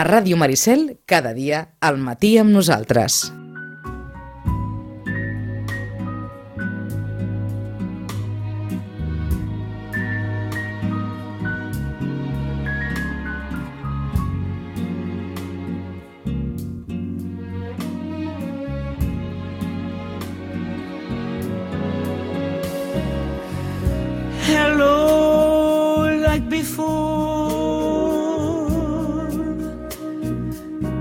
A Ràdio Maricel, cada dia, al matí amb nosaltres. Hello, like before.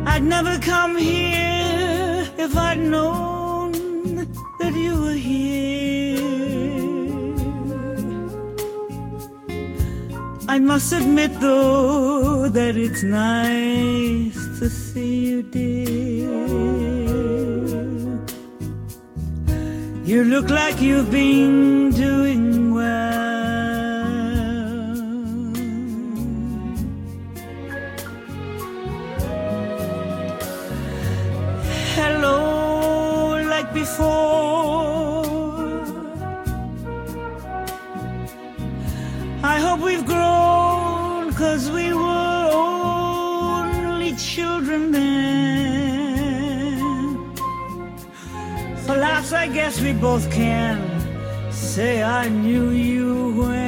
I'd never come here if I'd known that you were here. I must admit, though, that it's nice to see you, dear. You look like you've been doing well. Hello, like before. I hope we've grown, 'cause we were only children then. For laughs, I guess we both can say I knew you when.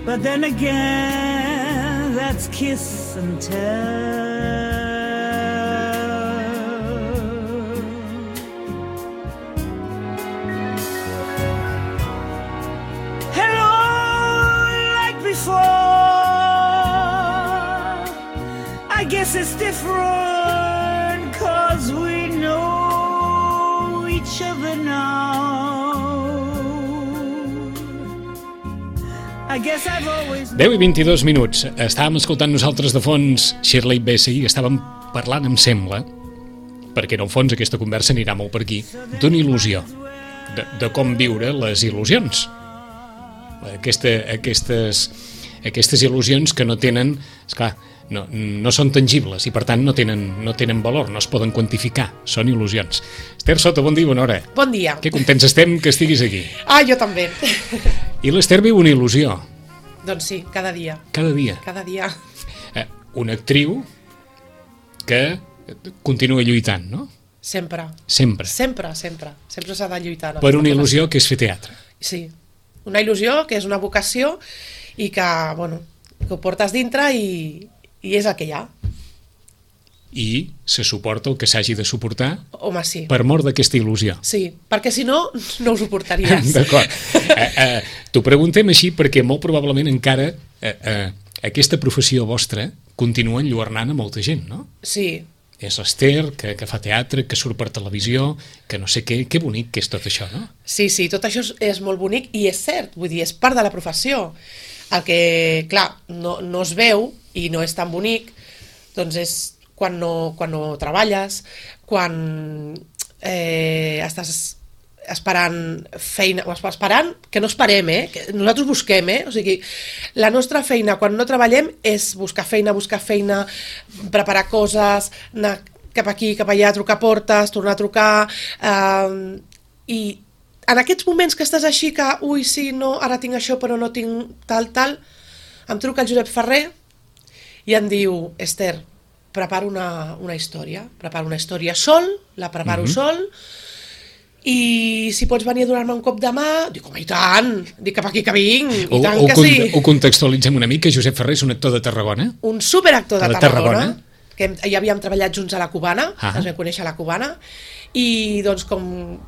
But then again, that's kiss and tell. Hello, like before. I guess it's different, 'cause we know each other now. I guess I've always 10 i 22 minuts. Estàvem escoltant nosaltres de fons Shirley Bassey i estàvem parlant, em sembla, perquè en el fons aquesta conversa anirà molt per aquí, d'una il·lusió, de com viure les il·lusions. Aquestes il·lusions que no tenen, esclar, no són tangibles i per tant no tenen valor, no es poden quantificar, són il·lusions. Esther Soto, bon dia, bona hora. Bon dia. Que contents estem que estiguis aquí. Ah, jo també. I l'Esther viu una il·lusió. Doncs sí, cada dia. Cada dia. Cada dia. Una actriu que continua lluitant, no? Sempre. Sempre. Sempre s'ha de lluitar. Per una il·lusió que és fer teatre. Sí, una il·lusió que és una vocació i que, bueno, que ho portes dintre i és el que hi ha. I se suporta el que s'hagi de suportar. Home, sí. Per mort d'aquesta il·lusió. Sí, perquè si no, no ho suportaries. D'acord. T'ho preguntem així perquè molt probablement encara aquesta professió vostra continua enlluernant a molta gent, no? Sí. És l'Esther, que fa teatre, que surt per televisió, que no sé què, que bonic que és tot això, no? Sí, tot això és molt bonic i és cert, vull dir, és part de la professió. El que, clar, no es veu i no és tan bonic, doncs és quan no treballes, quan estàs esperant feina, o esperant, que no esperem, que nosaltres busquem, o sigui, la nostra feina quan no treballem és buscar feina, preparar coses, anar cap aquí, cap allà, trucar portes, tornar a trucar, i en aquests moments que estàs així que, ui, sí, no, ara tinc això però no tinc tal, em truca el Josep Ferrer i em diu, Esther, preparo una història, sol, la preparo sol, i si pots venir a donar-me un cop de mà, dic, home, i tant, dic cap aquí que vinc, i tant que sí. Ho contextualitzem una mica, Josep Ferrer és un actor de Tarragona? Un superactor de Tarragona, que ja havíem treballat junts a la Cubana, ens vam conèixer a la Cubana, i doncs com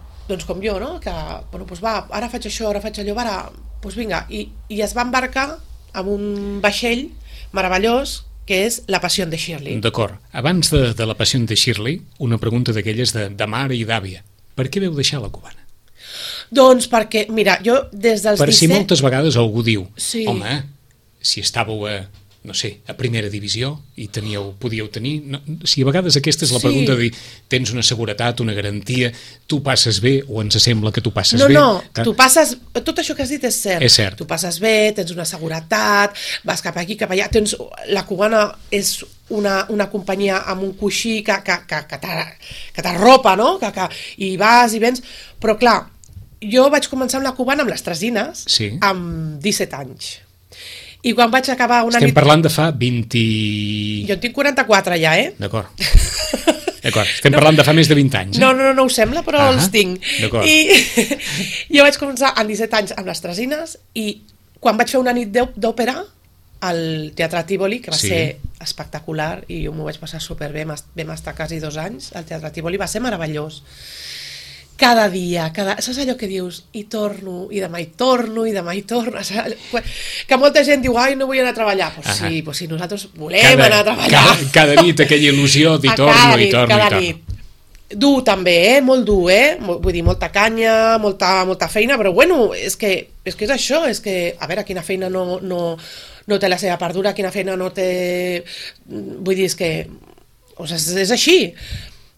jo, no? Que, bueno, doncs va, ara faig això, ara faig allò, ara, doncs vinga, i es va embarcar amb un vaixell meravellós, que és La Passió de Shirley. D'acord. Abans de La Passió de Shirley, una pregunta d'aquelles de mare i d'àvia. Per què veu deixar la Cubana? Doncs perquè, mira, jo des dels 17... Per si moltes vegades algú diu, sí. Home, si estàveu no sé, a primera divisió i podíeu tenir... No, si a vegades aquesta és la pregunta de dir, tens una seguretat, una garantia, tu passes bé o ens sembla que tu passes bé? No, tu passes... Tot això que has dit és cert. És cert. Tu passes bé, tens una seguretat, vas cap aquí, cap allà... La Cubana és una companyia amb un coixí que t'arropa, no? I vas i vens... Però clar, jo vaig començar amb la Cubana amb les Tresines, sí. amb 17 anys. I quan vaig acabar una Estem nit... parlant de fa 20... Jo en tinc 44 ja, D'acord. Estem parlant de fa més de 20 anys. No ho sembla, però els tinc. D'acord. I jo vaig començar amb 17 anys amb les Tresines i quan vaig fer una nit d'òpera al Teatre Tívoli, que va ser espectacular i jo m'ho vaig passar superbé, vam estar quasi 2 anys al Teatre Tívoli, va ser meravellós. Cada dia, saps allò que dius? I torno, i demà hi torno, i demà hi torno. Que molta gent diu, ai, no vull anar a treballar. Pues sí, nosaltres volem anar a treballar. Cada nit aquella il·lusió d'hi torno, i torno, cada nit. Dur també, molt dur, vull dir, molta canya, molta feina, però bueno, és que és això, és que, a veure, quina feina no té la seva part dura, quina feina no té... Vull dir, és que... O sigui, és així.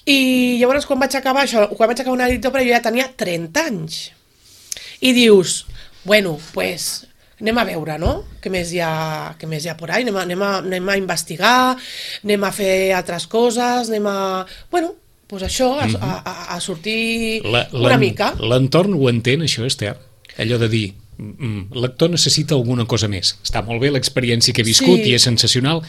I llavors quan vaig acabar una nit d'òpera jo ja tenia 30 anys. I dius, bueno, pues anem a veure, no? Què més hi ha por ahí? Anem a investigar, anem a fer altres coses, bueno, pues això, a sortir una mica. L'entorn ho entén, això, Esther? Allò de dir, l'actor necessita alguna cosa més. Està molt bé l'experiència que he viscut i és sensacional,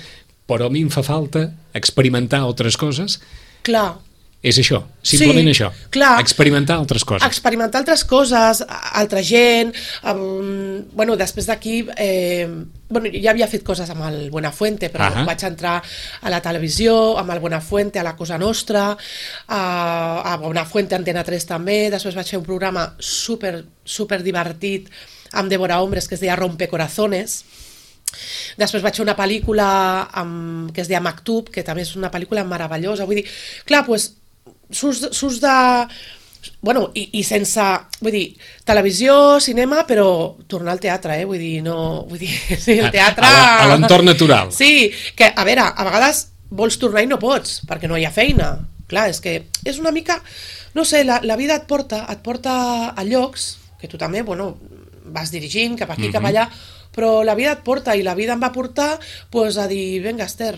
però a mi em fa falta experimentar altres coses. Clar. És això, simplement això. Clar. Experimentar altres coses. Experimentar altres coses, altra gent. Bueno, després d'aquí... ja havia fet coses amb el Buenafuente, però vaig entrar a la televisió, amb el Buenafuente, a la Cosa Nostra, a Buenafuente, Antena 3 també. Després vaig fer un programa super divertit amb Débora Hombres, que es deia Rompecorazones. Després vaig fer una pel·lícula que es deia Maktub, que també és una pel·lícula meravellosa. Vull dir, clar, doncs, surts de... Bueno, i sense... Vull dir, televisió, cinema, però tornar al teatre, vull dir, no... Vull dir, sí, el teatre... A l'entorn natural. Sí, que, a veure, a vegades vols tornar i no pots, perquè no hi ha feina. Clar, és que és una mica... No sé, la vida et porta a llocs, que tu també, bueno, vas dirigint cap aquí, cap allà, però la vida et porta, i la vida em va portar pues, a dir, vinga, Esther,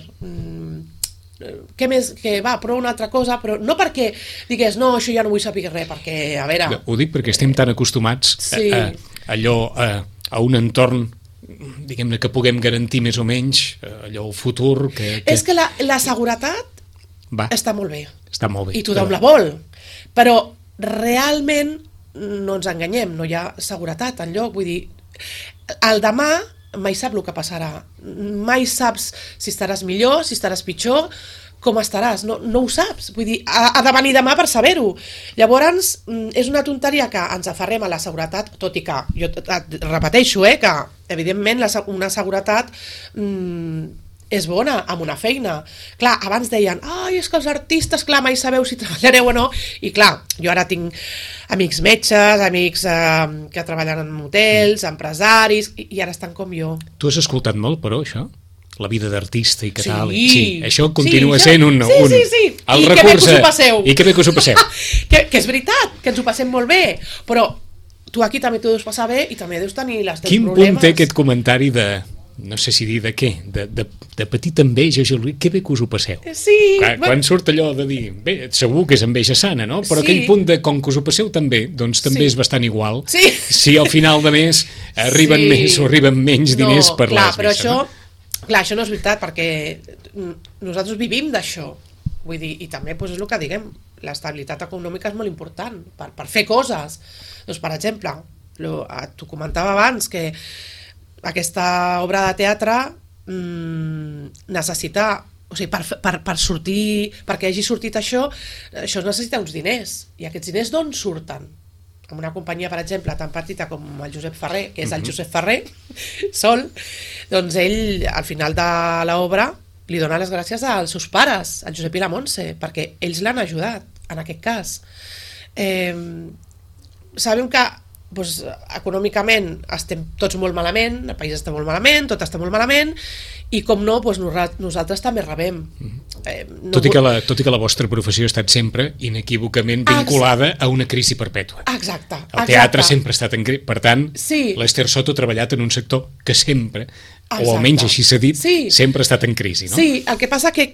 què més, que va, prova una altra cosa, però no perquè digués, no, això ja no vull saber res, perquè, a veure... Ho dic perquè estem tan acostumats a un entorn, diguem-ne, que puguem garantir més o menys, allò, el futur... És que la seguretat està molt bé. Està molt bé. I tothom la vol, però realment no ens enganyem, no hi ha seguretat enlloc, vull dir, el demà mai sap el que passarà, mai saps si estaràs millor, si estaràs pitjor, com estaràs, no ho saps, vull dir, ha de venir demà per saber-ho. Llavors, és una tonteria que ens aferrem a la seguretat, tot i que, jo et repeteixo, que evidentment una seguretat és bona amb una feina. Clar, abans deien, és que els artistes, clar, mai sabeu si treballareu o no, i clar, jo ara tinc amics metges, amics que treballen en hotels, empresaris, i ara estan com jo. Tu has escoltat molt, però, això? La vida d'artista i que tal? Sí, això continua sent un... Sí. I que bé que us ho passeu. I que bé que us ho passeu. Que és veritat, que ens ho passem molt bé, però tu aquí també t'ho deus passar bé i també deus tenir les teus problemes. Quin punt té aquest comentari de... No sé si dir de què, de petita enveja, que bé que us ho passeu. Sí. Quan surt allò de dir, bé, segur que és enveja sana, no? Però aquell punt de com que us ho passeu també, doncs també és bastant igual. Sí. Si al final de mes arriben més o arriben menys diners per les messes. Clar, això no és veritat, perquè nosaltres vivim d'això. Vull dir, i també és el que diguem, l'estabilitat econòmica és molt important per fer coses. Doncs, per exemple, t'ho comentava abans, que aquesta obra de teatre necessita, o sigui, per sortir, perquè hagi sortit això necessita uns diners, i aquests diners d'on surten? Amb una companyia, per exemple, tan petita com el Josep Ferrer, que és el Josep Ferrer, sol, doncs ell, al final de l'obra, li dona les gràcies als seus pares, al Josep i la Montse, perquè ells l'han ajudat, en aquest cas. Sabem que doncs, econòmicament estem tots molt malament, el país està molt malament, tot està molt malament, i com no, doncs nosaltres també rebem. Tot i que la vostra professió ha estat sempre inequívocament vinculada a una crisi perpètua. Exacte. El teatre sempre ha estat en crisi, per tant, sí. l'Esther Soto ha treballat en un sector que sempre, o almenys així s'ha dit, sempre ha estat en crisi, no? Sí, el que passa que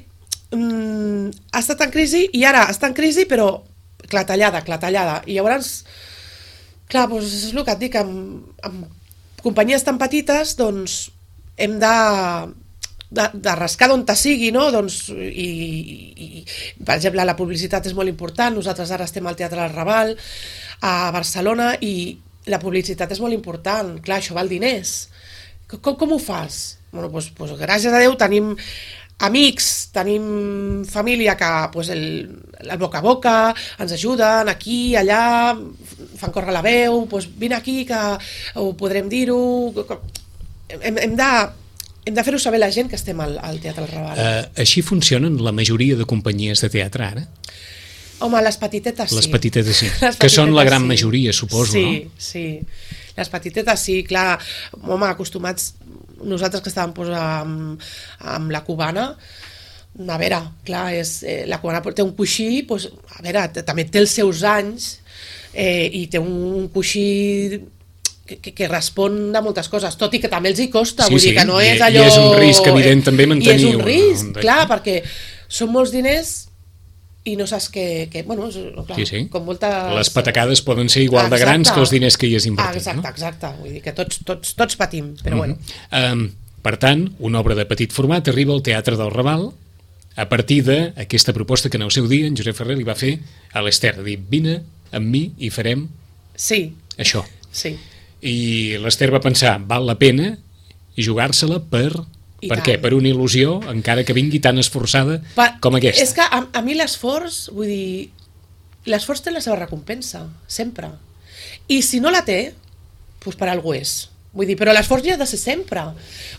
ha estat en crisi, i ara està en crisi, però clatellada, i llavors... Clar, doncs és el que et dic, amb companyies tan petites, doncs hem de rascar d'on te sigui, no? Doncs, i, per exemple, la publicitat és molt important. Nosaltres ara estem al Teatre del Raval, a Barcelona, i la publicitat és molt important. Clar, això val diners. Com ho fas? Bueno, doncs, gràcies a Déu tenim amics, tenim família que el boca a boca ens ajuden aquí, allà, fan córrer la veu, doncs vine aquí que ho podrem dir-ho. Hem de fer-ho saber la gent que estem al Teatre del Raval. Així funcionen la majoria de companyies de teatre ara? Home, les petitetes sí. Les petitetes sí, que són la gran majoria, suposo, no? Sí. Les petitetes sí, clar, home, acostumats, nosaltres que estàvem amb la cubana, a veure, clar, la cubana té un coixí, doncs, a veure, també té els seus anys i té un coixí que respon a moltes coses, tot i que també els hi costa, vull dir que no és allò... I és un risc, evident, també mantenir... I és un risc, clar, perquè són molts diners i no saps bueno, clar, com molta... Les patacades poden ser igual de grans que els diners que hi has invertit, no? Exacte, vull dir que tots patim, però bueno. Per tant, una obra de petit format arriba al Teatre del Raval a partir d'aquesta proposta que en el seu dia en Josep Ferrer li va fer a l'Ester, de dir, vine amb mi i farem això. Sí. I l'Ester va pensar, val la pena jugar-se-la per què? Per una il·lusió, encara que vingui tan esforçada com aquesta. És que a mi l'esforç, vull dir, l'esforç té la seva recompensa, sempre. I si no la té, doncs per alguna és. Vull dir, però l'esforç ja ha de ser sempre.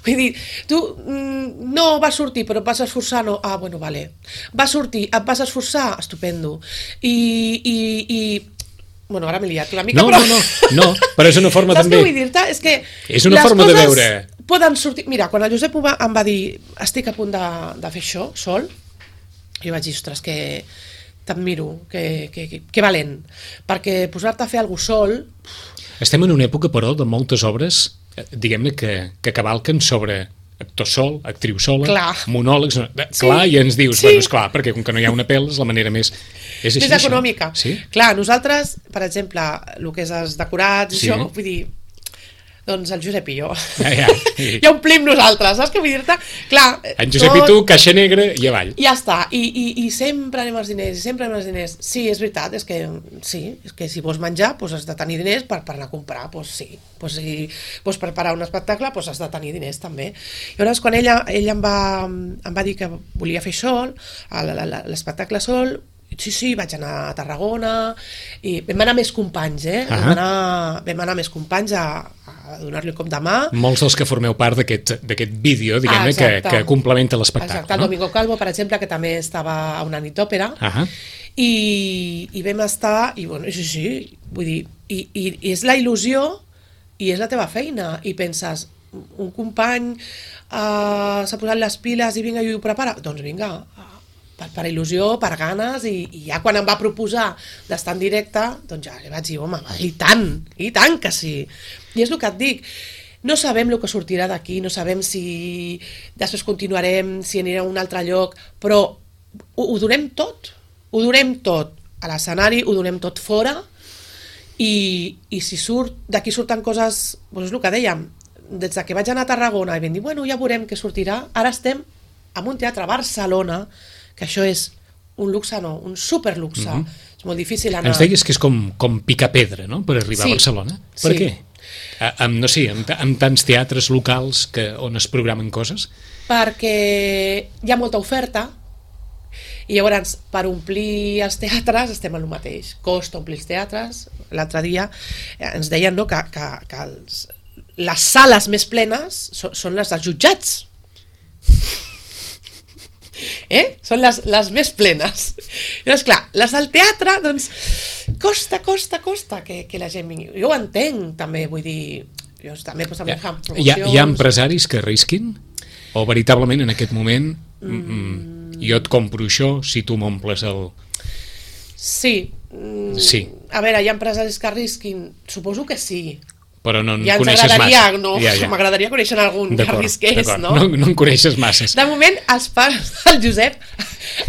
Vull dir, tu no vas sortir, però et vas esforçar, no? Ah, bueno, vale. Vas sortir, et vas esforçar, estupendo. Bueno, ara m'he liat una mica, No, però és una forma també... Saps què vull dir-te? És que és una forma de veure... poden sortir... Mira, quan el Josep em va dir estic a punt de fer això, sol, jo vaig dir, ostres, que t'admiro, que valent, perquè posar-te a fer alguna cosa sol... Estem en una època, però, de moltes obres, diguem-ne, que cavalquen sobre actor sol, actriu sola, monòlegs... Clar, i ens dius, bueno, esclar, perquè com que no hi ha una pèl, és la manera més... És així, econòmica. Sí? Clar, nosaltres, per exemple, el que és els decorats, això, vull dir, doncs el Josep i jo. Ja omplim nosaltres, saps què vull dir-te? Clar, en Josep i tu, caixa negra i avall. Ja està, i sempre anem als diners, Sí, és veritat, és que si vols menjar, doncs has de tenir diners per anar a comprar, doncs sí. Doncs si vols preparar un espectacle, doncs has de tenir diners també. I llavors, quan ell em va dir que volia fer sol, l'espectacle sol, sí, vaig anar a Tarragona i vam anar més companys, vam anar més companys a donar-li un cop de mà. Molts dels que formeu part d'aquest vídeo, diguem-ne, que complementa l'espectacle. Exacte, el Domingo Calvo, per exemple, que també estava a una nit d'òpera, i vam estar, i bueno, sí, vull dir, i és la il·lusió i és la teva feina, i penses, un company s'ha posat les piles i vinga i ho prepara, doncs vinga, per il·lusió, per ganes, i ja quan em va proposar d'estar en directe, doncs ja li vaig dir, home, i tant que sí. I és el que et dic, no sabem el que sortirà d'aquí, no sabem si després continuarem, si anirem a un altre lloc, però ho donem tot a l'escenari, ho donem tot fora, i si d'aquí surten coses, doncs és el que dèiem, des que vaig anar a Tarragona i vam dir, bueno, ja veurem què sortirà, ara estem en un teatre a Barcelona, que això és un luxe, no, un superluxe. És molt difícil anar... Ens deies que és com picar pedra, no?, per arribar a Barcelona. Per què? No sé, amb tants teatres locals on es programen coses? Perquè hi ha molta oferta, i llavors per omplir els teatres estem en el mateix. Costa omplir els teatres. L'altre dia ens deien, no, que les sales més plenes són les dels jutjats. Són les més plenes. Llavors, clar, les del teatre, doncs, costa que la gent vingui. Jo ho entenc, també, vull dir, jo també fan promocions... Hi ha empresaris que arrisquin? O veritablement en aquest moment jo et compro això si tu m'omples el... Sí. A veure, hi ha empresaris que arrisquin? Suposo que sí. Però no en coneixes massa. M'agradaria conèixer algun que arrisqués, no? No en coneixes masses. De moment, els pares del Josep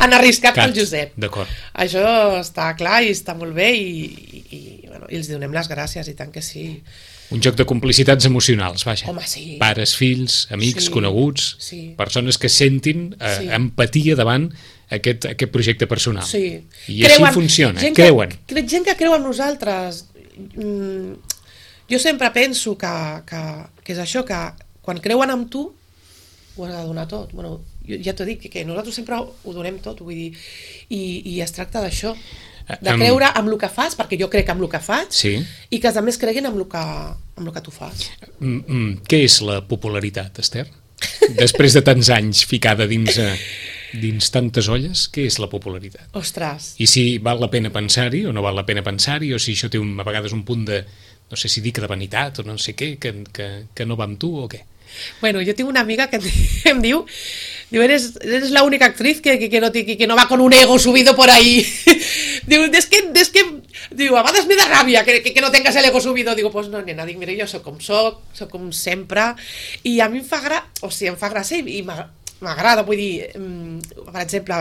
han arriscat pel Josep. D'acord. Això està clar i està molt bé i els donem les gràcies, i tant que sí. Un joc de complicitats emocionals, vaja. Home, sí. Pares, fills, amics, Sí. coneguts, Sí. persones que sentin Sí. empatia davant aquest projecte personal. Sí. I així funciona, gent creuen. Gent que creu en nosaltres. Jo sempre penso que és això, que quan creuen en tu ho has de donar tot. Bueno, jo ja t'ho dic, que nosaltres sempre ho donem tot, vull dir, i es tracta d'això, de creure en el que fas, perquè jo crec en el que faig, Sí. i que els altres creguin en el que tu fas. Què és la popularitat, Esther? Després de tants anys ficada dins tantes olles, què és la popularitat? Ostres, I si val la pena pensar-hi o no val la pena pensar-hi, o si això té a vegades un punt de, no sé si dic de vanitat o no sé què, que no va amb tu o què? bueno, yo tengo una amiga que em diu, eres la única actriz que no va con un ego subido por ahí. Diu, es que diu, a vegades me da ràbia que no tengas el ego subido. Digo, pues no, nena, dic, mira, jo soc com sempre, i a mi em fa gràcia i m'agrada, vull dir, per exemple,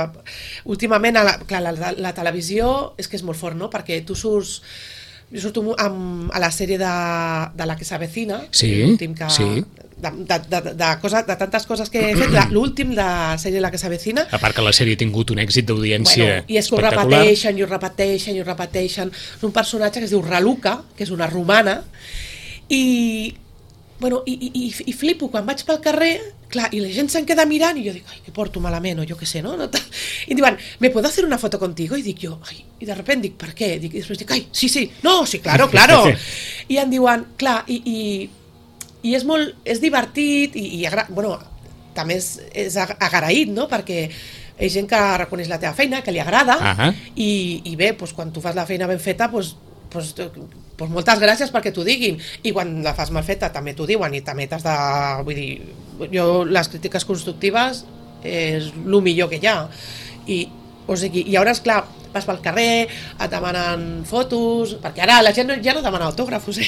últimament la televisió és que és molt fort, no? Perquè tu surts, jo surto a la sèrie de La que s'avecina, Sí, l'últim que, sí. de tantes coses que he fet, l'últim de la sèrie La que s'avecina, A part que la sèrie ha tingut un èxit d'audiència i és que ho espectacular. repeteixen. És un personatge que es diu Raluca, que és una romana, i flipo quan vaig pel carrer, clar, i la gent se'n queda mirant i jo dic, ai, que porto malament, o jo què sé, no? I em diuen, ¿me puedo hacer una foto contigo? I dic jo, ai, i de repente dic, per què? I després dic, ai, sí, no, sí, claro. I em diuen, clar, i és divertit, bueno, també és agraït, no? Perquè hi ha gent que reconeix la teva feina, que li agrada, i bé, doncs, quan tu fas la feina ben feta, doncs moltes gràcies perquè t'ho diguin, i quan la fas mal feta també t'ho diuen, i també t'has de, vull dir, jo les crítiques constructives és el millor que hi ha, i llavors, clar, vas pel carrer, et demanen fotos, perquè ara la gent ja no demana autògrafos,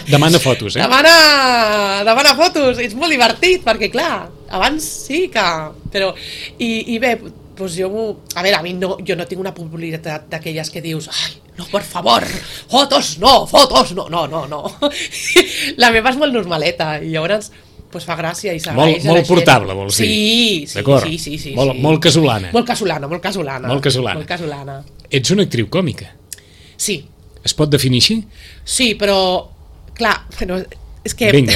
Demana fotos, demana fotos, és molt divertit, perquè clar, abans sí que, però, i bé, doncs a veure, a mi jo no tinc una popularitat d'aquelles que dius, ai, no, per favor, fotos no. La meva és molt normaleta, i llavors pues fa gràcia i s'agraeix. Molt portable, vols dir? Sí. D'acord. Sí. Molt casolana. Molt casolana. Ets una actriu còmica. Sí. Es pot definir així? Sí, però, clar, bueno, és que... Vinga.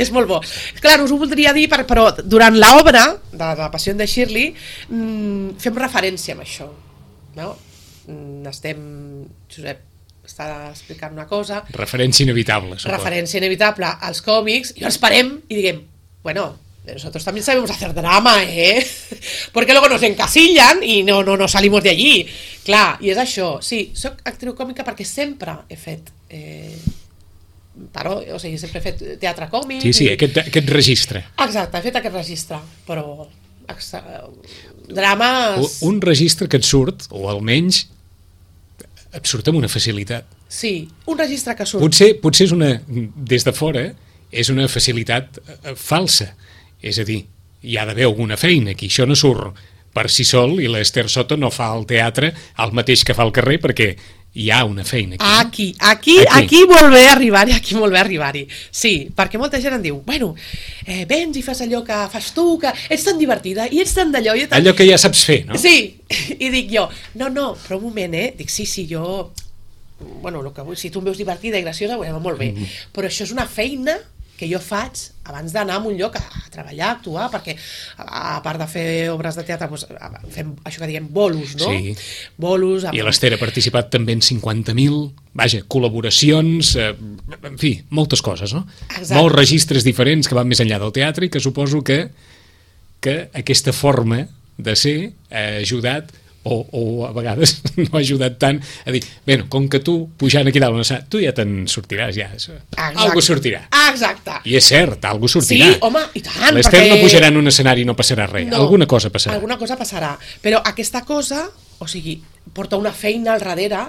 És molt bo. Clar, us ho voldria dir, però durant l'obra de La Passió de Shirley fem referència a això, no? Josep està explicant una cosa, Referència inevitable, suposo. referència inevitable als còmics, i ens parem i diguem, bueno, nosotros también sabemos hacer drama, porque luego nos encasillan y no salimos de allí. Clar, i és això, sí, soc actriu còmica perquè sempre he fet sempre he fet teatre còmic. Sí, aquest registre. Exacte, he fet aquest registre, però drames... Un registre que et surt, o almenys et surt amb una facilitat. Sí, un registre que surt. Potser és des de fora, és una facilitat falsa. És a dir, hi ha d'haver alguna feina aquí, això no surt per si sol, i l'Esther Soto no fa al teatre el mateix que fa al carrer, perquè hi ha una feina aquí. Aquí vol bé arribar-hi, Sí, perquè molta gent em diu, bueno, vens i fas allò que fas tu, que ets tan divertida i ets tan d'allò... Allò que ja saps fer, no? Sí, i dic jo, no, però un moment, dic, sí, jo... Bueno, si tu em veus divertida i graciosa, bueno, molt bé, però això és una feina que jo faig abans d'anar a un lloc a treballar, a actuar, perquè a part de fer obres de teatre fem això que diem bolos, no? Sí. Bolos... I l'Esther ha participat també en 50.000, col·laboracions, en fi, moltes coses, no? Exacte. Molts registres diferents que van més enllà del teatre, i que suposo que aquesta forma de ser ha ajudat, o a vegades no ha ajudat tant a dir, bé, com que tu pujant aquí dalt, tu ja te'n sortiràs, ja. Algú sortirà. Exacte. I és cert, algú sortirà. Sí, home, i tant. L'Esther no pujarà en un escenari i no passarà res. No, alguna cosa passarà. Alguna cosa passarà. Però aquesta cosa, porta una feina al darrere,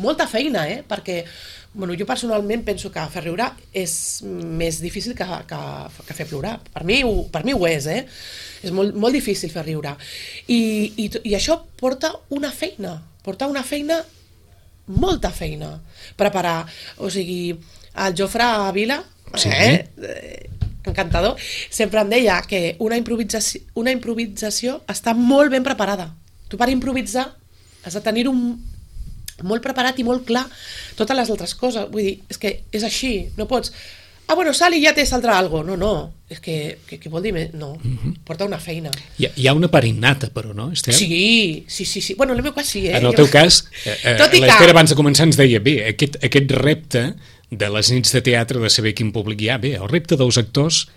molta feina, perquè jo personalment penso que fer riure és més difícil que fer plorar. Per mi ho és, és molt difícil fer riure. I això porta una feina, molta feina. Preparar, el Jofre Vila, Sí. encantador, sempre em deia que una improvisació està molt ben preparada. Tu per improvisar has de tenir molt preparat i molt clar totes les altres coses. Vull dir, és que és així, no pots... bueno, sal i ja té saldrà algo. No, és que què vol dir? No, porta una feina. Hi ha una part innata, però, no, Esther? Sí. Bueno, en el meu cas sí, En el teu cas, Tot i que- l'Esther abans de començar ens deia, bé, aquest repte de les nits de teatre, de saber quin públic hi ha, bé, el repte dels actors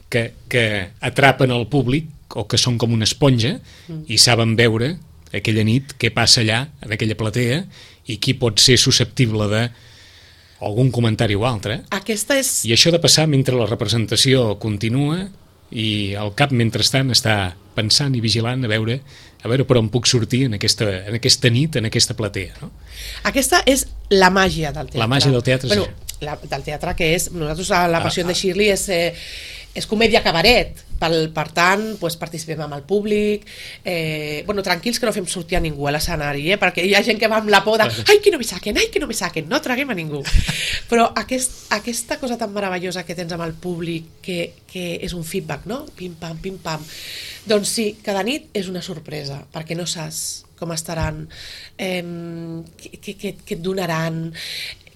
que atrapen el públic o que són com una esponja i saben veure aquella nit què passa allà, en aquella platea, i qui pot ser susceptible de algun comentari o altre. Aquesta és... I això de passar mentre la representació continua i el cap mentrestant està pensant i vigilant a veure per on puc sortir en aquesta nit, en aquesta platea, no? Aquesta és la màgia del teatre. La màgia del teatre, bueno, sí. del teatre que és... Nosaltres, la passió de Shirley és comèdia cabaret. Per tant, participem amb el públic. Tranquils que no fem sortir a ningú a l'escenari, perquè hi ha gent que va amb la por de ai, que no me saquen, no traguem a ningú. Però aquesta cosa tan meravellosa que tens amb el públic, que és un feedback, no? Pim-pam, pim-pam. Doncs sí, cada nit és una sorpresa, perquè no saps com estaran, què et donaran,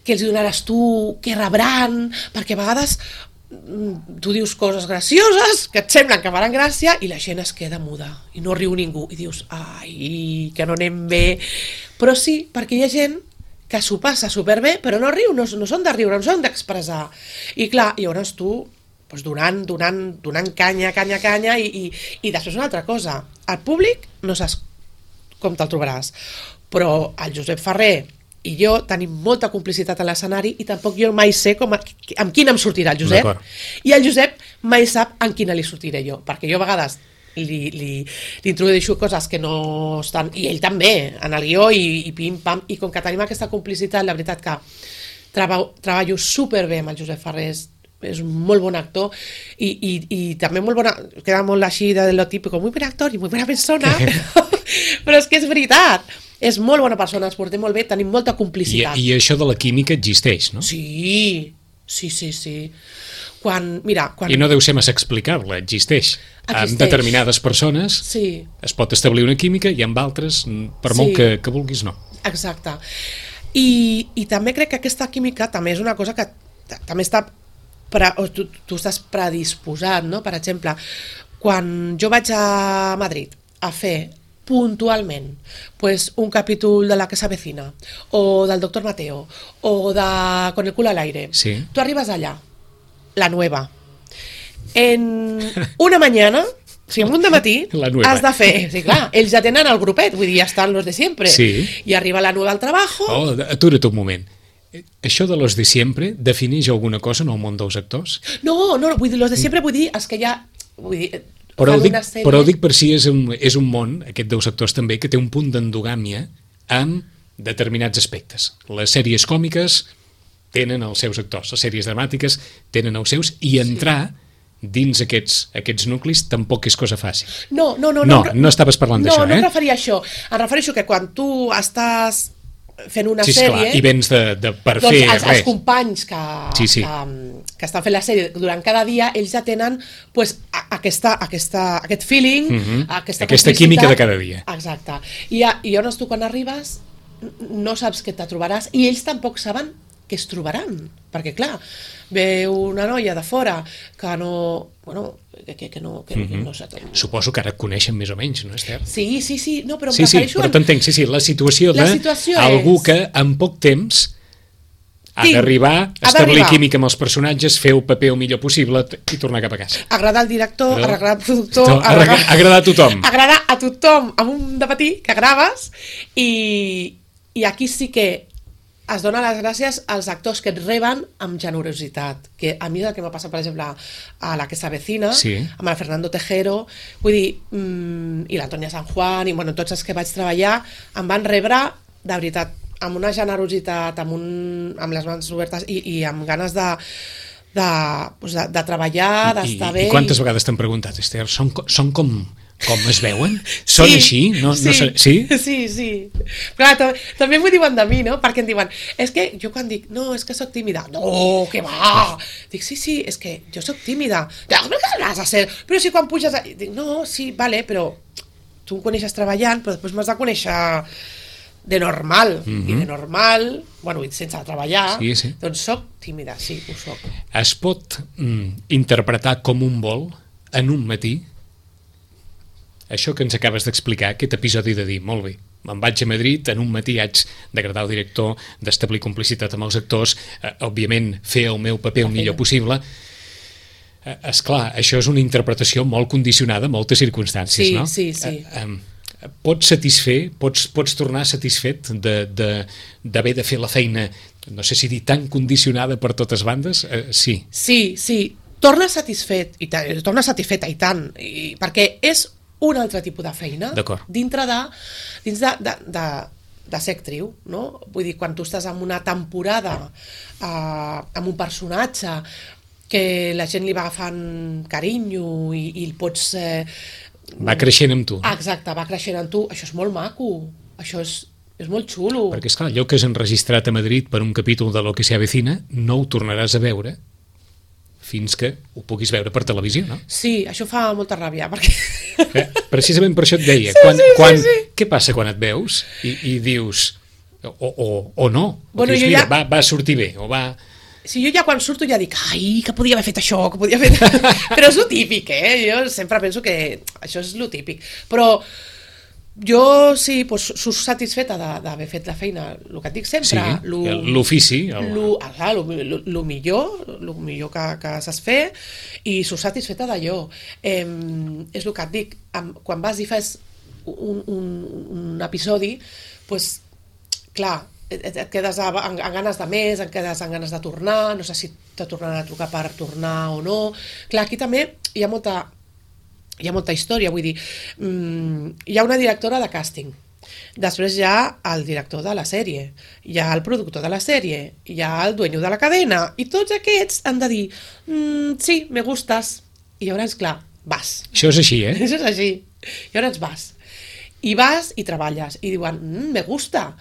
què els donaràs tu, què rebran, perquè a vegades tu dius coses gracioses que et semblen que faran gràcia i la gent es queda muda i no riu ningú i dius, ai, que no anem bé, però sí, perquè hi ha gent que s'ho passa superbé però no riu, no són de riure, no són d'expressar, i clar, llavors tu donant canya i després una altra cosa, el públic no saps com te'l trobaràs, però el Josep Ferrer i jo tenim molta complicitat a l'escenari i tampoc jo mai sé amb quina em sortirà el Josep. I el Josep mai sap amb quina li sortiré jo, perquè jo a vegades li introdueixo coses que no estan, i ell també, en el guió i pim-pam, i com que tenim aquesta complicitat, la veritat que treballo superbé amb el Josep Ferrer, és un molt bon actor i també molt bona, queda molt així de lo típico, muy buen actor i muy buena persona, però és que és veritat. És molt bona persona, ens portem molt bé, tenim molta complicitat. I això de la química existeix, no? Sí. I no deu ser massa explicable, existeix. Amb determinades persones es pot establir una química i amb altres, per molt que vulguis, no. Exacte. I també crec que aquesta química també és una cosa que també està... tu estàs predisposat, no? Per exemple, quan jo vaig a Madrid a fer puntualment un capítol de La que s'avecina o del Doctor Mateo o de Con el culo al aire, tu arribes allà, la nueva, en una mañana, o sigui, en un dematí has de fer, sí, clar, ells ja tenen el grupet, vull dir, ja estan los de siempre, i arriba la nueva al trabajo. Atura't un moment. Això de los de siempre defineix alguna cosa en el món dels actors? No, vull dir, los de siempre vull dir, els que ja... Vull dir, però ho dic per si és un món, aquest dels actors també, que té un punt d'endogàmia amb determinats aspectes. Les sèries còmiques tenen els seus actors, les sèries dramàtiques tenen els seus, i entrar dins aquests nuclis tampoc és cosa fàcil. No estaves parlant d'això, No em referia a això. Em refereixo que quan tu estàs fent una sèrie... Clar, i vens per fer res. Els companys que estan fent la sèrie durant cada dia, ells ja tenen aquest feeling, aquesta química de cada dia. Exacte. I llavors tu quan arribes no saps què te trobaràs i ells tampoc saben què es trobaran, perquè clar, ve una noia de fora que no... no sé. Suposo que ara et coneixen més o menys, no, Esther? Sí, no, però em Sí, refereixo... però t'entenc, la situació d'algú que en poc temps ha d'arribar, establir química amb els personatges, fer el paper el millor possible i tornar cap a casa. Agradar al director, agradar al productor... Agradar a tothom. Agradar a tothom amb un dematí que graves i aquí sí que es dona les gràcies als actors que et reben amb generositat, que a mi és el que m'ha passat, per exemple, a La que s'avecina, amb el Fernando Tejero, vull dir, i l'Antonia San Juan, i tots els que vaig treballar, em van rebre, de veritat, amb una generositat, amb les mans obertes i amb ganes de treballar, d'estar bé. I quantes vegades t'han preguntat, Esther, són com Com es veuen? Són així? No, sí, no sé, sí? Sí. Clar, també m'ho diuen de mi, no? Perquè em diuen, és que jo quan dic, no, és que sóc tímida. No, que va! Dic, sí, és que jo sóc tímida. Dic, però què has de ser? Però si quan puges... Dic, no, sí, vale, però tu em coneixes treballant, però després m'has de conèixer de normal. I de normal, bueno, sense treballar, sí. doncs sóc tímida, sí, ho sóc. Es pot interpretar com un vol en un matí? Això que ens acabes d'explicar, aquest episodi de dir, molt bé, me'n vaig a Madrid, en un matí haig d'agradar al director, d'establir complicitat amb els actors, òbviament fer el meu paper el millor possible. Esclar, això és una interpretació molt condicionada a moltes circumstàncies, no? Sí. Pots tornar satisfet d'haver de fer la feina, no sé si dir tan condicionada per totes bandes? Sí. Sí, torna satisfeta i tant, perquè és un altre tipus de feina dins de ser actriu, no? Vull dir, quan tu estàs en una temporada amb un personatge que la gent li va agafant carinyo i el pots... va creixent amb tu. Exacte, va creixent amb tu. Això és molt maco, això és molt xulo. Perquè, esclar, allò que has enregistrat a Madrid per un capítol de Lo que se avecina no ho tornaràs a veure fins que ho puguis veure per televisió, no? Sí, això fa molta ràbia, perquè... Precisament per això et deia, sí. Què passa quan et veus i dius, o no, bueno, dius, mira, va sortir bé, o va... Sí, jo ja quan surto ja dic, ai, que podia haver fet això, que podia haver fet... Però és lo típic, Jo sempre penso que això és lo típic. Però jo sí, doncs, soc satisfeta d'haver fet la feina, el que et dic sempre. Sí, l'ofici. El millor que saps fer, i soc satisfeta d'allò. És el que et dic, quan vas i fas un episodi, doncs, clar, et quedes amb ganes de més, et quedes amb ganes de tornar, no sé si te tornaran a trucar per tornar o no. Clar, aquí també hi ha molta història, vull dir, hi ha una directora de càsting, després hi ha el director de la sèrie, hi ha el productor de la sèrie, hi ha el dueño de la cadena, i tots aquests han de dir, sí, me gustes, i llavors, clar, vas. Això és així, Això és així, i llavors vas i treballes, i diuen, me gusta,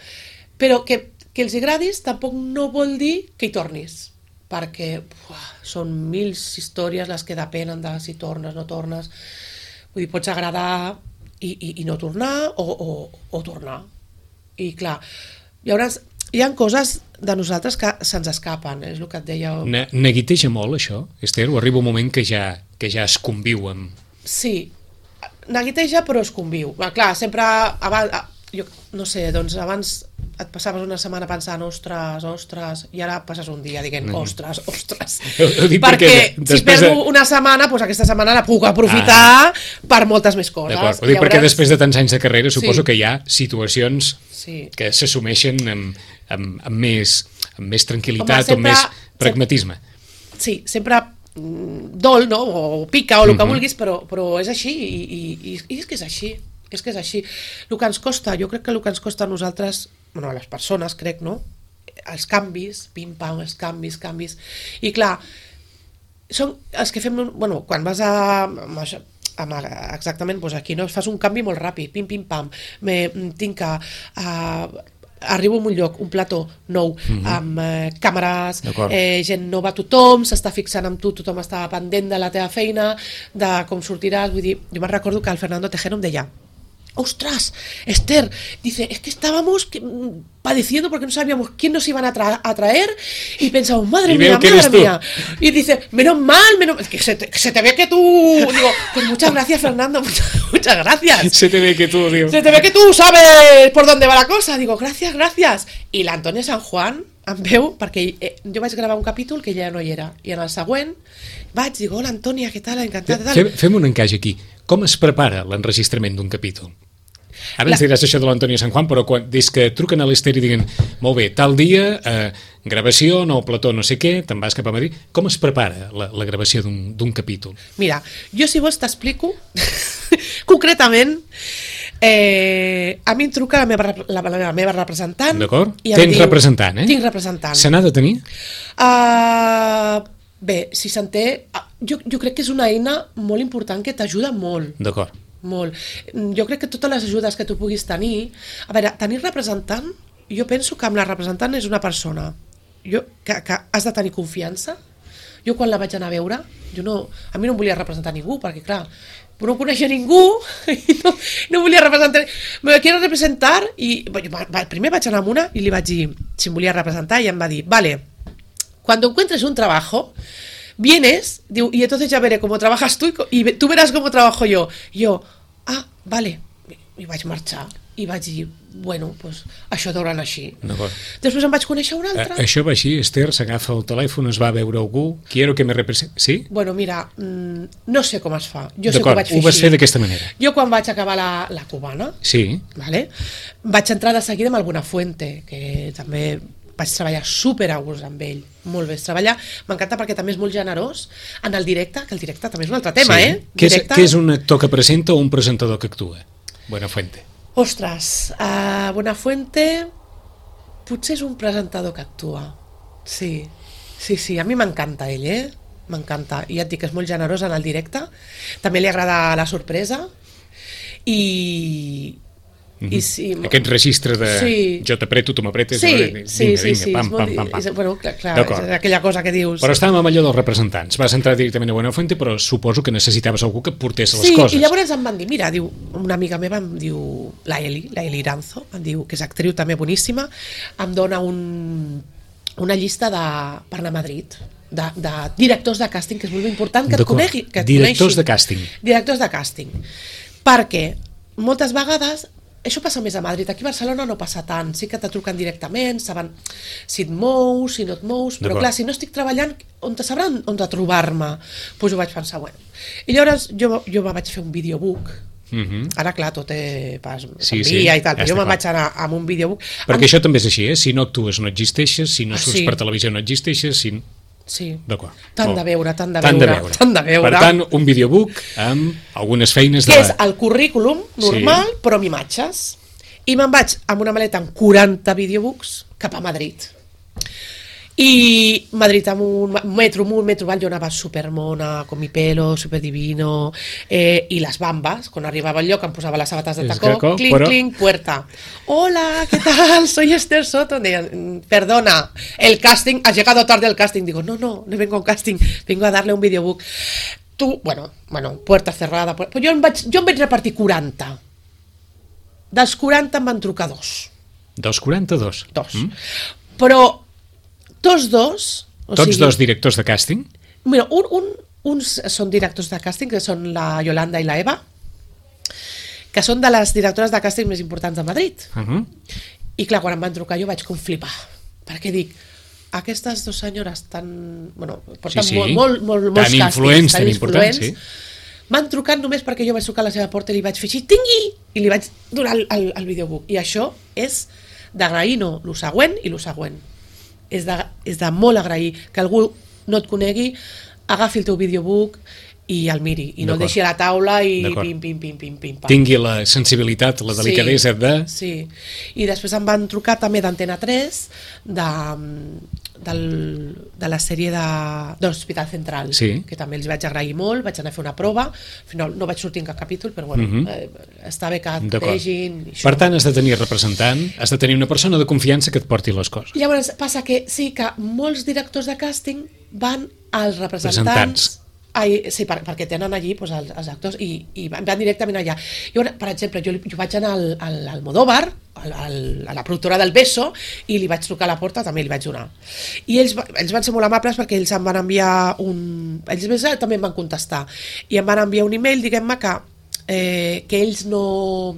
però que els agradis tampoc no vol dir que hi tornis, perquè són 1000 històries les que depenen de si tornes, no tornes. Vull dir, pots agradar i no tornar o tornar. I clar, llavors hi ha coses de nosaltres que se'ns escapen, és el que et deia. Neguiteja molt això, Esther? O arriba un moment que ja es conviu amb... Sí, neguiteja però es conviu. Clar, sempre abans... Jo no sé, doncs abans et passaves una setmana pensant ostres, i ara passes un dia dient ostres, perquè si perdo una setmana, doncs aquesta setmana la puc aprofitar per moltes més coses. D'acord, ho dic perquè després de tants anys de carrera suposo que hi ha situacions que s'assumeixen amb més tranquil·litat o amb més pragmatisme. Sí, sempre dol, no? O pica o el que vulguis, però és així i és que és així. És que és així. El que ens costa, jo crec que el que ens costa a nosaltres, bueno, a les persones, crec, no? Els canvis, pim-pam, els canvis. I clar, són els que fem... Bueno, quan vas exactament, doncs aquí, no? Fas un canvi molt ràpid, pim-pam, tinc que... arribo a un lloc, un plató nou, amb càmeres, gent nova, tothom s'està fixant amb tu, tothom està pendent de la teva feina, de com sortiràs. Vull dir, jo me'n recordo que el Fernando Tejero em deia, ostras, Esther, dice, es que estábamos padeciendo porque no sabíamos quién nos iban a traer y pensamos, madre mía. Y dice, menos mal, que se te ve que tú... Digo, pues muchas gracias, Fernando, muchas gracias. Se te ve que tú, digo. Se te ve que tú sabes por dónde va la cosa. Digo, gracias. I l'Antònia Sant Juan em veu, perquè jo vaig gravar un capítol que ella no hi era, i en el següent dic, hola Antònia, què tal, encantada. Fem un encaix aquí. Com es prepara l'enregistrament d'un capítol? Ara ens diràs això de l'Antònia Sant Juan, però des que truquen a l'Esther i diuen, molt bé, tal dia, gravació, nou plató, no sé què, te'n vas cap a Madrid, com es prepara la gravació d'un capítol? Mira, jo si vols t'explico concretament. A mi em truca la meva representant. D'acord? Tens representant, Tinc representant. Se n'ha de tenir? Bé, si se'n té... Jo crec que és una eina molt important que t'ajuda molt. D'acord. molt. Jo crec que totes les ajudes que tu puguis tenir... A veure, tenir representant, jo penso que amb la representant és una persona que has de tenir confiança. Jo quan la vaig anar a veure, a mi no em volia representar ningú, perquè clar, no coneixia ningú i no volia representar. Me quiero representar i primer vaig anar amb una i li vaig dir si em volia representar i em va dir, vale, cuando encuentres un trabajo, vienes, diu, y entonces ya veré cómo trabajas tú y tú verás cómo trabajo yo. I jo, vale, i vaig marxar i vaig dir, bueno, pues això deuran així. Després em vaig conèixer una altra. Això va així, Esther s'agafa el telèfon, es va a veure algú, quiero que me representi... Sí? Bueno, mira, no sé com es fa. Jo sé que ho vaig fer així. Ho vas fer d'aquesta manera. Jo quan vaig acabar la cubana, vale, vaig entrar de seguida amb el Buenafuente, que també vaig treballar super a gust amb ell, molt bé treballar, m'encanta perquè també és molt generós en el directe, que el directe també és un altre tema, Què és un actor que presenta o un presentador que actua? Buenafuente. Ostres, Buenafuente potser és un presentador que actua. Sí, a mi m'encanta ell, m'encanta, i ja et dic que és molt generós en el directe, també li agrada la sorpresa i sí, aquest registre de jo t'apreto, tu m'apretes, vinga, pam. Bueno, clar, és aquella cosa que dius. Però estàvem amb allò dels representants, vas entrar directament a Buenafuente, però suposo que necessitaves algú que portés les coses. Sí, i llavors em van dir, mira, diu, una amiga meva em diu, la Eli Iranzo, em diu, que és actriu també boníssima, em dona una llista per anar a Madrid, de directors de càsting, que és molt important que et conegui. Directors de càsting. Directors de càsting. Perquè moltes vegades això passa més a Madrid, aquí a Barcelona no passa tant, sí que te truquen directament, saben si et mous, si no et mous, però clar, si no estic treballant, on te sabran on de trobar-me? Doncs ho vaig pensar, bueno. I llavors jo me vaig fer un videobook, ara clar, tot s'envia i tal, però jo me'n vaig anar amb un videobook. Perquè això també és així, si no actues no existeixes, si no surts per televisió no existeixes, Sí, d'acord. Tant de veure. Per tant, un videobook amb algunes feines que és el currículum normal, però amb imatges. I me'n vaig amb una maleta amb 40 videobooks cap a Madrid. I Madrid amb un metro val, jo anava supermona, con mi pelo, superdivino, i les bambes, quan arribava al lloc em posava les sabates de tacó, clink, puerta. Hola, ¿qué tal? Soy Esther Soto. Perdona, el casting, has llegado tarde al casting. Digo, no vengo a un casting, vengo a darle un videobook. Tu, bueno, puerta cerrada. Pues jo em vaig repartir 40. Dels 40 em van trucar 2. Dels 42? 2. Però tots dos directors de càsting? Mira, uns són directors de càsting, que són la Yolanda i la Eva, que són de les directores de càsting més importants de Madrid. I clar, quan em van trucar jo vaig com flipar, perquè dic, aquestes dues senyores porten molts càstings, tan influents, m'han trucat només perquè jo vaig trucar a la seva porta i li vaig fer així, tingui! I li vaig donar el videobook. I això és d'agrair, lo següent i lo següent. És de molt agrair que algú no et conegui, agafi el teu videobook i el miri, i no el deixi a la taula i pim. Tingui la sensibilitat, la delicadesa de... Sí, i després em van trucar també d'Antena 3 de la sèrie d'Hospital Central, que també els vaig agrair molt, vaig anar a fer una prova, al final no vaig sortir en cap capítol, però bueno, està bé que et vegin. Per tant, has de tenir representant, has de tenir una persona de confiança que et porti les coses. Llavors passa que sí que molts directors de càsting van als representants. Sí, perquè tenen allí els actors i van directament allà. Per exemple, jo vaig anar al Almodóvar, a la productora del Beso, i li vaig trucar a la porta, també li vaig donar. I ells van ser molt amables perquè ells em van enviar ells també em van contestar i em van enviar un email, diguem-me que ells no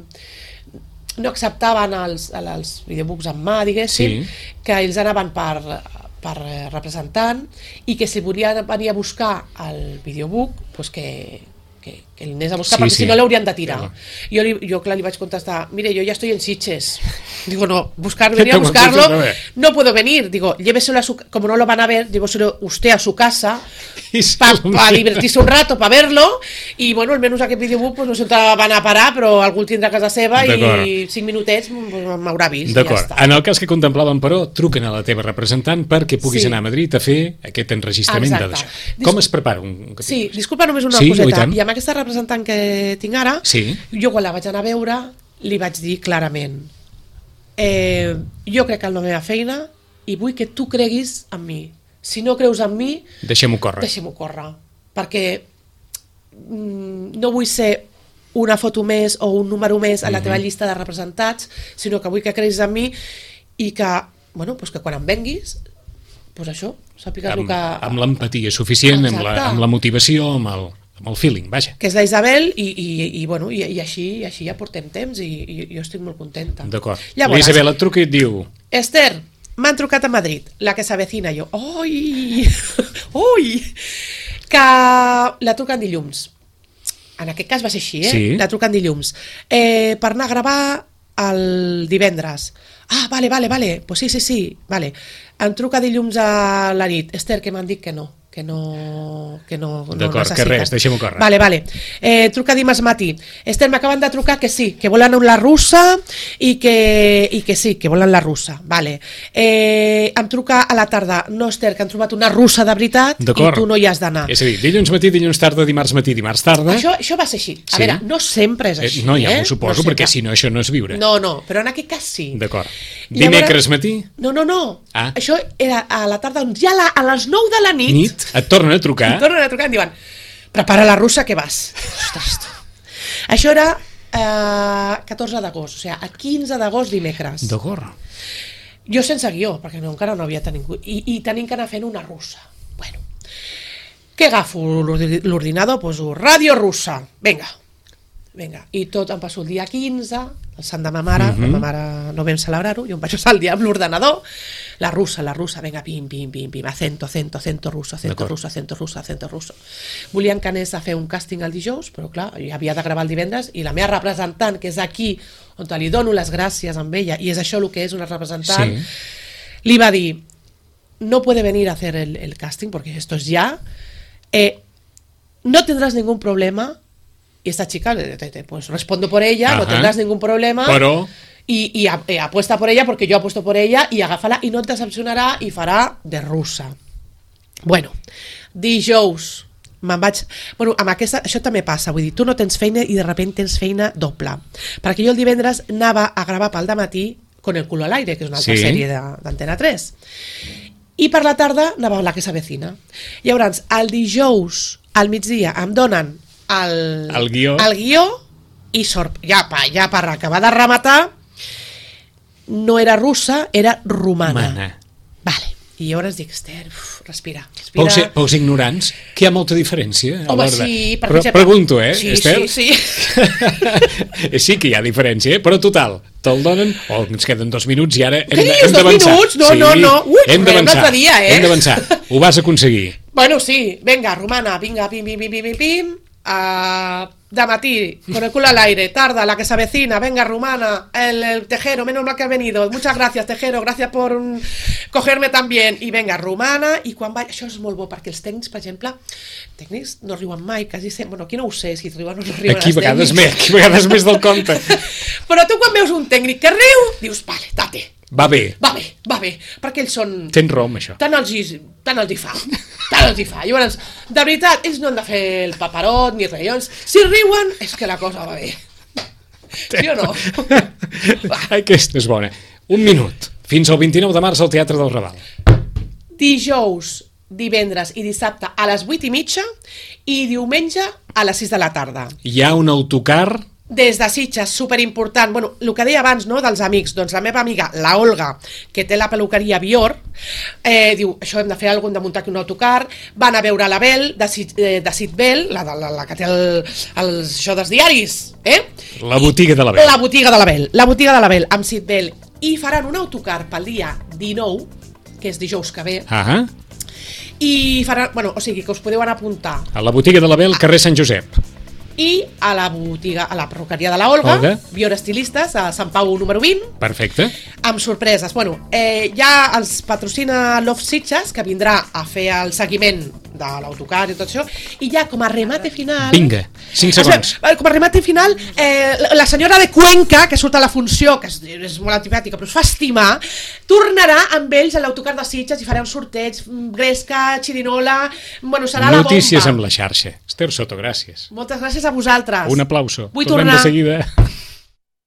acceptaven els videobooks en mà, diguéssim, que ells anaven per representant i que si volia venir a buscar el videobook doncs que el anés a buscar perquè si no l'haurien de tirar. Jo clar li vaig contestar, mire, yo ya estoy en Sitges. Digo, no, venir a buscarlo no puedo venir. Digo, lléveselo como no lo van a ver, lléveselo usted a su casa para divertirse un rato, para verlo y bueno, almenys aquest videobook pues no sé on van a parar, però algú el tindrà a casa seva i 5 minutets m'haurà vist. D'acord. En el cas que contemplàvem, però, truquen a la teva representant perquè puguis anar a Madrid a fer aquest enregistrament d'això. Com es prepara un capítol? Sí, disculpa només una coseta. I a amb aquesta representant que tinc ara, Sí. jo quan la vaig anar a veure li vaig dir clarament jo crec en la meva feina i vull que tu creguis en mi. Si no creus en mi, Deixem-ho córrer. deixem-ho córrer, perquè no vull ser una foto més o un número més a la teva llista de representats, sinó que vull que creguis en mi i que, bueno, pues que quan em venguis, pues això, sàpigues el que... Amb l'empatia suficient, amb la motivació, amb el feeling, vaja. Que és la Isabel i bueno, i així ja portem temps i jo estic molt contenta. D'acord. Llavors, La Isabel et truca i et diu... Esther, m'han trucat a Madrid, la que s'avecina. Jo, oi, oi, que la truquen dilluns. En aquest cas va ser així, Sí. La truquen dilluns. Per anar a gravar el divendres. Ah, vale, pues sí, vale. Em truca dilluns a la nit. Esther, que m'han dit que no D'acord, que res, deixem-ho córrer. Vale. Truca dimarts matí. Esther, m'acaben de trucar que sí, que volen la russa i que sí, que volen la russa. Vale. Em truca a la tarda. No, Esther, que han trobat una russa de veritat i tu no hi has d'anar. És a dir, dilluns matí, dilluns tarda, dimarts matí, dimarts tarda... Això va ser així. A veure, no sempre és així. No, ja m'ho suposo, perquè si no, això no és viure. No, però en aquest cas sí. D'acord. Dimecres matí? No. Ah. Això era a la tarda, ja a les 9 de la nit. Et tornen a trucar? Em tornen a trucar i em diuen, prepara la russa que vas. Ostres, tu. Això era 14 d'agost, o sigui, a 15 d'agost dimecres. D'acord. Jo sense guió, perquè encara no havia tingut, i tenim que anar fent una russa. Bueno, què agafo l'ordinador? Poso ràdio russa, vinga, i tot em passo el dia 15, el sant de ma mare, la mare no vam celebrar-ho, jo em vaig passar el dia amb l'ordenador, la russa, vinga, pim, acento russo. Volien que anés a fer un càsting el dijous, però clar, jo havia de gravar el divendres, i la meva representant, que és aquí, on li dono les gràcies amb ella, i és això el que és una representant, li va dir, no puede venir a hacer el casting, porque esto es ya, no tendrás ningún problema. Y esta chica, pues respondo por ella, no tendrás ningún problema, però... y apuesta por ella porque yo apuesto por ella, y agafa-la i no et decepcionarà i farà de russa. Bueno, dijous me'n vaig... Bueno, amb aquesta, això també passa, vull dir, tu no tens feina i de repente tens feina doble, perquè jo el divendres anava a gravar pel dematí Con el culo al aire, que és una altra sèrie d'Antena 3, i per la tarda anava a La que s'avecina. Llavors, el dijous al migdia em donen el guió i ja per acabar de rematar, no era russa, era romana. Vale. I llavors dic, Esther, respira. Pous ignorants, que hi ha molta diferència. Home, sí. Però pregunto, Esther? Sí. Sí que hi ha diferència, però total, te'l donen, ens queden 2 minuts i ara hem d'avançar. 2 minuts? No. Ui, hem d'avançar. Hem d'avançar. Ho vas aconseguir. Bueno, sí. Venga, romana, vinga, pim. De matí, con el culo al aire, tarda, La que s'avecina, venga, rumana, el Tejero, menos mal que has venido, muchas gracias, Tejero, gracias por cogerme tan bien, i venga, rumana, i quan va... Això és molt bo, perquè els tècnics, per exemple, no riuen mai, quasi sempre, bueno, aquí no ho sé, si riuen o no riuen aquí vegades més del compte. Però tu quan veus un tècnic que riu, dius, vale, date. Va bé, perquè ells són... Tens raó amb això. Tant els hi fa. Llavors, de veritat, ells no han de fer el paperot ni res. Si riuen, és que la cosa va bé. Sí o no? Aquesta és bona. 1 minut. Fins al 29 de març al Teatre del Raval. Dijous, divendres i dissabte a les 8:30 i diumenge a les 6 de la tarda. Hi ha un autocar... Des de Sitges, superimportant. Bueno, el que deia abans, no?, dels amics, doncs la meva amiga, la Olga, que té la peluqueria Bior, diu, això hem de fer alguna cosa, hem de muntar aquí un autocar, van a veure la Bel, de Sitbel, la que té això dels diaris, La botiga de la Bel. La botiga de la Bel, amb Sitbel, i faran un autocar pel dia 19, que és dijous que ve, i faran, bueno, o sigui, que us podeu anar a apuntar. A la botiga de la Bel, carrer Sant Josep. I a la botiga, a la perruqueria de la Olga, Bior Estilistes, a Sant Pau número 20. Perfecte. Amb sorpreses. Bueno, ja els patrocina Love Sitges, que vindrà a fer el seguiment l'autocar i tot això, i ja com a remate final... Vinga, 5 segons. Com a remate final, la senyora de Cuenca, que surt a la funció, que és molt antipàtica, però es fa estimar, tornarà amb ells a l'autocar de Sitges i farà un sorteig, gresca, xirinola... Bueno, serà la bomba. Notícies amb la xarxa. Esther Soto, gràcies. Moltes gràcies a vosaltres. Un aplauso. Vull Tornem tornar. de seguida.